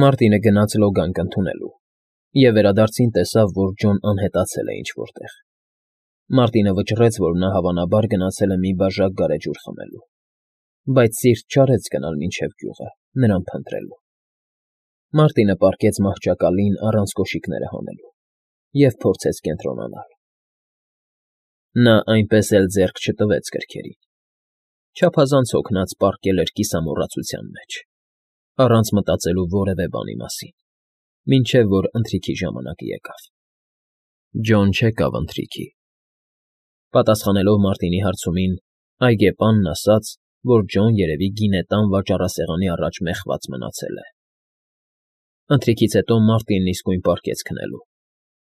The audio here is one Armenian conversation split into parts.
Մարտինը գնաց լոգանք ընդունելու և վերադարձին տեսավ, որ Ջոն անհետացել է ինչ֊որ տեղ։ Մարտինը վճռեց, որ նա հավանաբար գնացել է մի բաժակ գարեջուր խմելու, բայց սիրտ չարեց գնալ մինչև գյուղը, նրան փնտրելու։ Մարտինը պառկեց մահճակալին առանց կոշիկները հանելու և փորձեց կենտրոնանալ։ Նա այնպես էլ ձեռք չտվեց գրքերին, չափազանց հոգնած պառկել էր կիսամոռացության մեջ, առանց մտածելու որևէ բանի մասին, մինչև որ ընթրիքի ժամանակը եկավ։ Ջոն չեկավ ընթրիքի։ Պատասխանելով Մարտինի հարցումին, այգեպանն ասաց, որ Ջոն երևի գինետան վաճառասեղանի առաջ մեխված մնացել է։ Ընթրիքից հետո Մարտինն իսկույն պառկեց քնելու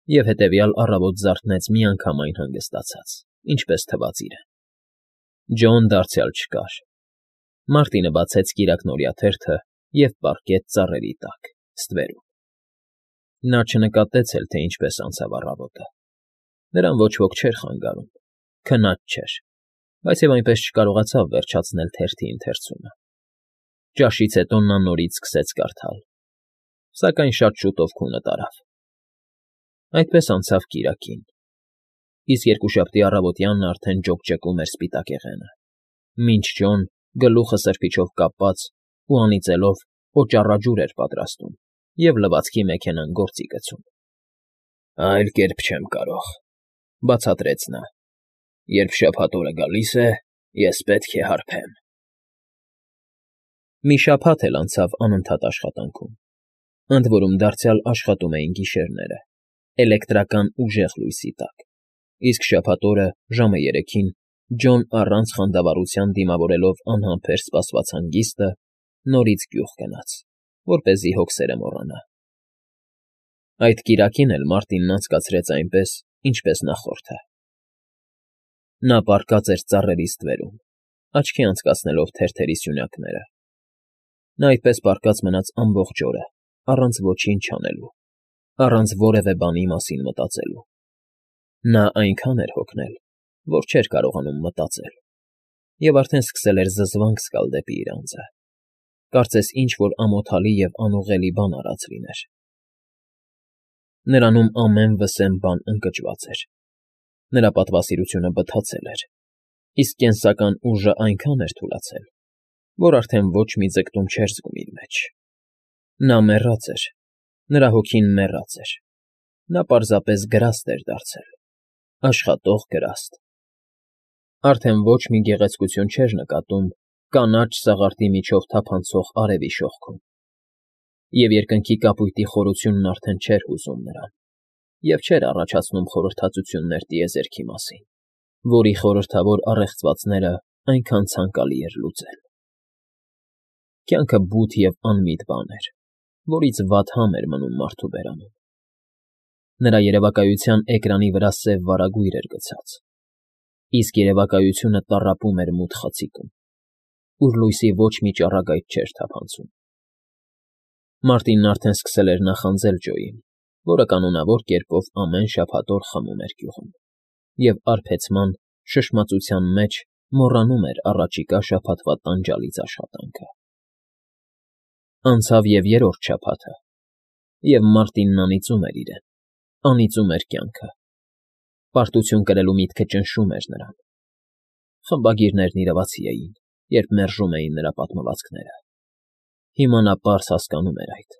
և հետևյալ առավոտ զարթնեց միանգամայն հանգստացած, ինչպես թվաց իրեն։ Ջոն դարձյալ չկար։ Մարտինը բացեց կիրակնօրյա թերթը և պառկեց ծառերի տակ, ստվերում։ Նա չնկատեց էլ, թե ինչպես անցավ առավոտը։ Նրան ոչ ոք չէր խանգարում, քնած չէր, բայց և այնպես չկարողացավ վերջացնել թերթի ընթերցումը։ Ճաշից հետո նա նորից սկսեց կարդալ, սակայն շատ շուտով քունը տարավ։ Այդպես անցավ կիրակին, իսկ երկուշաբթի առավոտյանն արդեն ջոկջկում էր սպիտակեղենը, մինչ Ջոն, գլուխը սրբիչով կապած ու անիծելով, օճառաջուր էր պատրաստում և լվացքի մեքենան գործի գցում։ «Այլ կերպ չեմ կարող,֊ բացատրեց նա,֊ երբ շաբաթ օրը գալիս է, ես պետք է հարբեմ»։ Մի շաբաթ էլ անցավ անընդհատ աշխատանքում, ընդ որում դարձյալ աշխատում էին գիշերները, էլեկտրական ուժեղ լույսի տակ, իսկ շաբաթ օրը, ժամը 3-ին, Ջոն առանց խանդավառության դիմավորելով անհամբեր սպասված հանգիստը, նորից գյուղ գնաց, որպեսզի հոգսերը մոռանա։ Այդ կիրակին էլ Մարտինն անցկացրեց այնպես, ինչպես նախորդը։ Նա պառկած էր ծառերի ստվերում, աչքի անցկացնելով թերթերի սյունյակները։ Նա այդպես պառկած մնաց ամբողջ օրը, առանց ոչինչ անելու, առանց որևէ բանի մասին մտածելու։ Նա այնքան էր հոգնել, որ չէր կարողանում մտածել, և արդեն սկսել էր զզվանք զգալ դեպի իր անձը, կարծես ինչ֊որ ամոթալի և անուղղելի բան արած լիներ։ Նրանում ամեն վսեմ բան ընկճված էր, նրա պատվասիրությունը բթացել էր, իսկ կենսական ուժն այնքան էր թուլացել, որ արդեն ոչ մի ձգտում չէր զգում իր մեջ։ Նա մեռած էր, նրա հոգին մեռած էր, նա պարզապես գրաստ էր դարձել, աշխատող գրաստ։ Արդեն ոչ մի գեղեցկություն չէր նկատում կանաչ սաղարթի միջով թափանցող արևի շողքում, և երկնքի կապույտի խորությունն արդեն չէր հուզում նրան, և չէր առաջացնում խորհրդածություններ տիեզերքի մասին, որի խորհրդավոր առեղծվածները այնքան ցանկալի էր լուծել։ Կյանքը բութ և անմիտ բան էր, որից վատ համ էր մնում մարդու բերանում։ Նրա երևակայության էկրանի վրա սև վարագույր էր գցած, իսկ երևակայությունը տառապում էր մութ խցիկում, ուր լույսի ոչ մի ճառագայթ չէր թափանցում։ Մարտինն արդեն սկսել էր նախանձել Ջոյին, որը կանոնավոր կերպով ամեն շաբաթ օր խմում էր գյուղում, և արբեցման, շշմածության մեջ մոռանում էր առաջիկա շաբաթվա տանջալից աշխատանքը։ Անցավ և երրորդ շաբաթը, և Մարտինն անիծում էր իրեն, անիծում էր կյանքը։ Պարտություն կրելու միտքը ճնշում էր նրան։ Խմբագիրներն իրավացի էին, երբ մերժում էին նրա պատմվածքները։ Հիմա նա պարզ հասկանում էր այդ,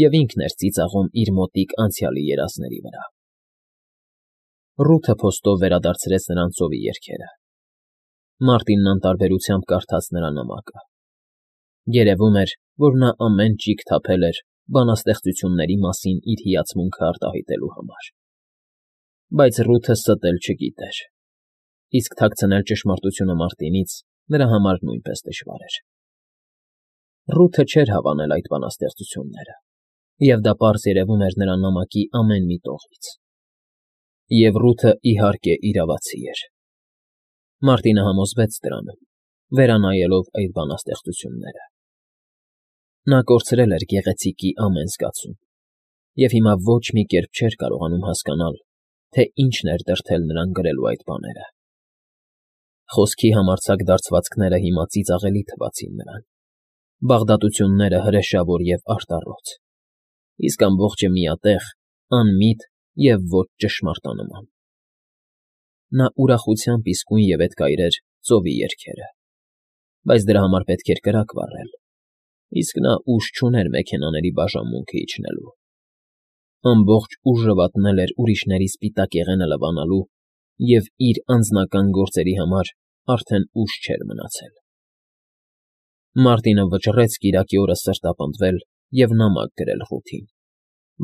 և ինքն էր ծիծաղում իր մոտիկ անցյալի երազների վրա։ Ռութը փոստով վերադարձրեց նրան ծովի երգերը։ Մարտինն անտարբերությամբ կարդաց նրա նամակը։ Երևում էր, որ նա ամեն ճիգ թափել էր բանաստեղծությունների մասին իր հիացմունքը արտահայտելու համար։ Բայց Ռութը ստել չգիտեր, իսկ թաքցնել ճշմարտությունը Մարտինից նրա համար նույնպես դժվար էր։ Ռութը չէր հավանել այդ բանաստեղծությունները, և դա պարզ երևում էր նրա նամակի ամեն մի տողից։ Եվ Ռութը, իհարկե, իրավացի էր։ Մարտինը համոզվեց դրանում, վերանայելով այդ բանաստեղծությունները։ Նա կորցրել էր գեղեցիկի ամեն զգացում, և հիմա ոչ մի կերպ չէր կարողանում հասկանալ, թե ինչն էր դրդել նրան գրելու այդ բաները։ Խոսքի համարձակ դարձվածքները հիմա ծիծաղելի թվացին նրան, Բաղդատությունները հրեշավոր և արտառոց, իսկ ամբողջը միատեղ, անմիտ և ոչ ճշմարտանման։ Նա ուրախությամբ իսկույն ևեթ կայրեր ծովի երգերը, բայց դրա համար պետք էր կրակ վառել, իսկ նա ուժ չուներ մեքենաների բաժանմունքը իջնելու։ Ամբողջ ուժը վատնել էր ուրիշների սպիտակ եղենը լվանալու և իր անձնական գործերի համար արդեն ուժ չէր մնացել։ Մարտինը վճռեց կիրակի օրը սրտապնդվել և նամակ գրել Ռութին,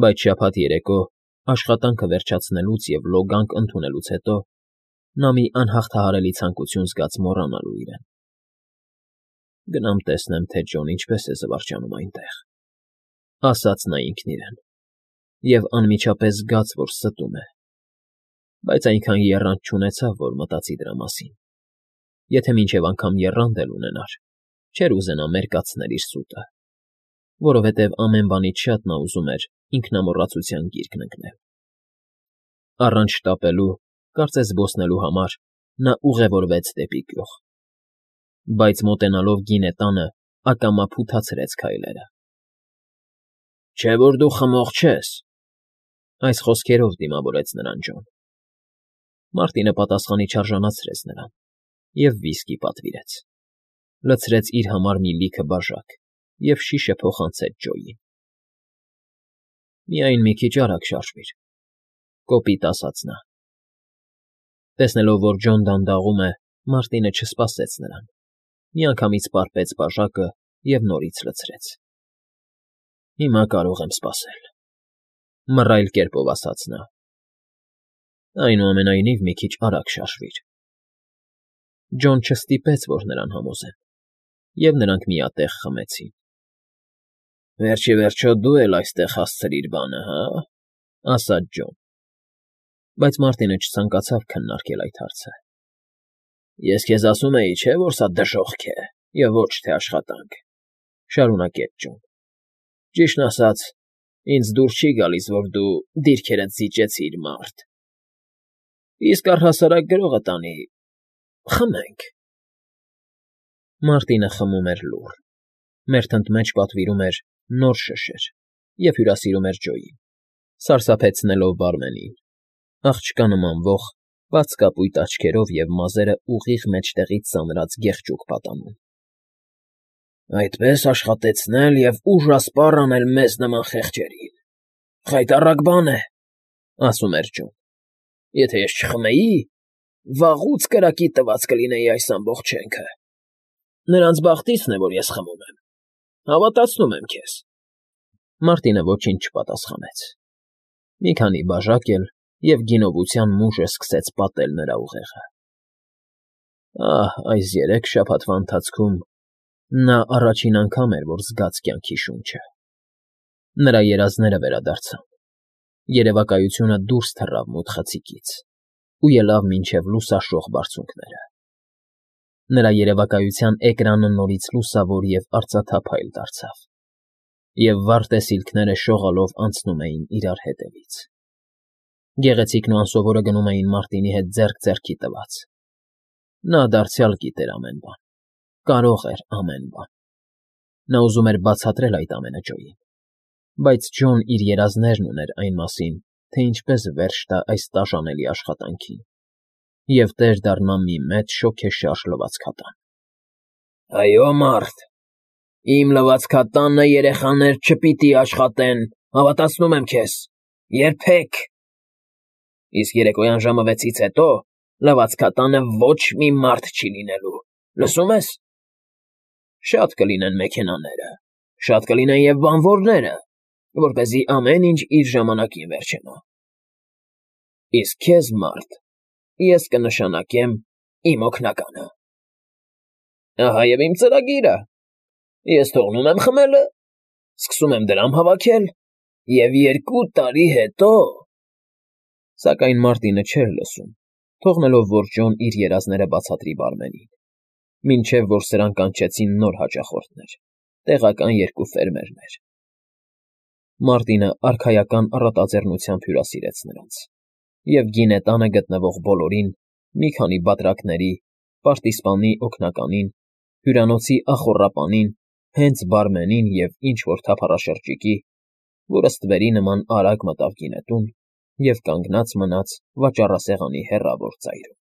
բայց շաբաթ երեկո, աշխատանքը վերջացնելուց և լոգանք ընդունելուց հետո նա մի անհաղթահարելի ցանկություն զգաց մոռանալու իրեն։ «Գնամ տեսնեմ, թե Ջոն ինչպես է զվարճանում այնտեղ», ասաց նա ինքն իրեն, և անմիջապես զգաց, որ ստում է, բայց այնքան եռանդ չունեցավ, որ մտածի դրա մասին։ Եթե մինչև անգամ եռանդ էլ ունենար, չէր ուզենա մերկացնել իր սուտը, որովհետև ամեն բանից շատ նա ուզում էր ինքնամոռացության գիրկն ընկնել։ Առանց շտապելու, կարծես զբոսնելու համար, նա ուղևորվեց դեպի գյուղ, բայց մոտենալով գինետանը ակամա փութացրեց քայլերը։ «Չէ՞ որ դու խմող չես», այս խոսքերով դիմավորեց նրան Ջոն։ Մարտինը պատասխանի չարժանացրեց նրան և վիսկի պատվիրեց, լցրեց իր համար մի լիքը բաժակ և շիշը փոխանցեց Ջոյին։ «Միայն մի քիչ արագ շարժվիր», կոպիտ ասաց նա։ Տեսնելով, որ Ջոն դանդաղում է, Մարտինը չսպասեց նրան, միանգամից պարպեց բաժակը և նորից լցրեց։ «Հիմա կարող եմ սպասել», մռայլ կերպով ասաց նա։ «Այնուամենայնիվ մի քիչ արագ շարժվիր»։ Ջոն չստիպեց, որ նրան համոզեն, և նրանք միատեղ խմեցին։ «Վերջ ի վերջո դու էլ այստեղ հասցրիր բանը, հա՞, ասաց Ջոն, բայց Մարտինը չցանկացավ քննարկել այդ հարցը։ «Ես քեզ ասում էի, չէ՞, որ սա դժոխք է և ոչ թե աշխատանք», շարունակեց Ջոն։ «Ճիշտն ասած, ինձ դուր չի գալիս, որ դու դիրքերդ զիջեցիր, մարդ։ Իսկ առհասարակ գրողը տանի, խմենք»։ Մարտինը խմում էր լուռ, մերթընդ մեջ պատվիրում էր նոր շշեր և հյուրասիրում էր Ջոյին, սարսափեցնելով բարմենին, աղջկա նմանվող, բաց կապույտ աչքերով և մազերը ուղիղ մեջտեղից ծանրած գեղջուկ պատանուն։ «Այդպես աշխատեցնել և ուժասպառ անել մեզ նման խեղճերին… Խայտառակ բան է, ֊ ասում էր Ջոն։ Եթե ես չխմեի, վաղուց կրակի տված կլինեի այս ամբողջ շենքը։ Նրանց բախտիցն է, որ ես խմում եմ, հավատացնում եմ քեզ»։ Մարտինը ոչինչ չպատասխանեց։ Մի քանի բաժակ էլ, և գինովության մուժը սկսեց պատել նրա ուղեղը։ Այս 3 շաբաթվա ընթացքում նա առաջին անգամ էր, որ զգաց կյանքի շունչը։ Նրա երազները վերադարձան, երևակայությունը դուրս թռավ մութ խցիկից ու ելավ մինչև լուսաշող բարձունքները։ Նրա երևակայության էկրանը նորից լուսավոր և արծաթափայլ դարձավ, և վառ տեսիլքները շողալով անցնում էին իրար հետևից։ Գեղեցիկն ու անսովորը գնում էին Մարտինի հետ ձեռք ձեռքի տված։ Նա դարձյալ գիտեր ամեն բան, կարող էր ամեն բան։ Նա ուզում էր բացատրել այդ ամենը Ջոյին, բայց Ջոն իր երազներն ուներ այն մասին, թե ինչպես վերջ տա այս տաժանելի աշխատանքին և տեր դառնա մի մեծ շոգեշարժ լվացքատան։ «Այո, մարդ, իմ լվացքատանը երեխաներ չպիտի աշխատեն, հավատացնում եմ քեզ, երբեք։ Իսկ երեկոյան ժամը 6-ից հետո լվացքատանը ոչ մի մարդ չի լինելու, լսո՞ւմ ես։ Շատ կլինեն մեքենաները, շատ կլինեն և բանվորները, որպեսզի ամեն ինչ իր ժամանակին վերջանա։ Իսկ քեզ, մարդ, ես կնշանակեմ իմ օգնականը։ Ահա և իմ ծրագիրը. ես թողնում եմ խմելը, սկսում եմ դրամ հավաքել, և 2 տարի հետո…» Սակայն Մարտինը չէր լսում, թողնելով, որ Ջոն իր երազները բացատրի բարմենին, մինչև որ սրան կանչեցին նոր հաճախորդներ, տեղական 2 ֆերմերներ։ Մարտինը արքայական առատաձեռնությամբ հյուրասիրեց նրանց, և գինետանը գտնվող բոլորին, մի քանի բատրակների, պարտիզպանի օգնականին, հյուրանոցի ախոռապանին, Հենց բարմենին և ինչ֊որ թափառաշրջիկի, որը ստվերի նման արագ մտավ գինետուն և կանգնած մնաց վաճառասեղանի հեռավոր ծայրում։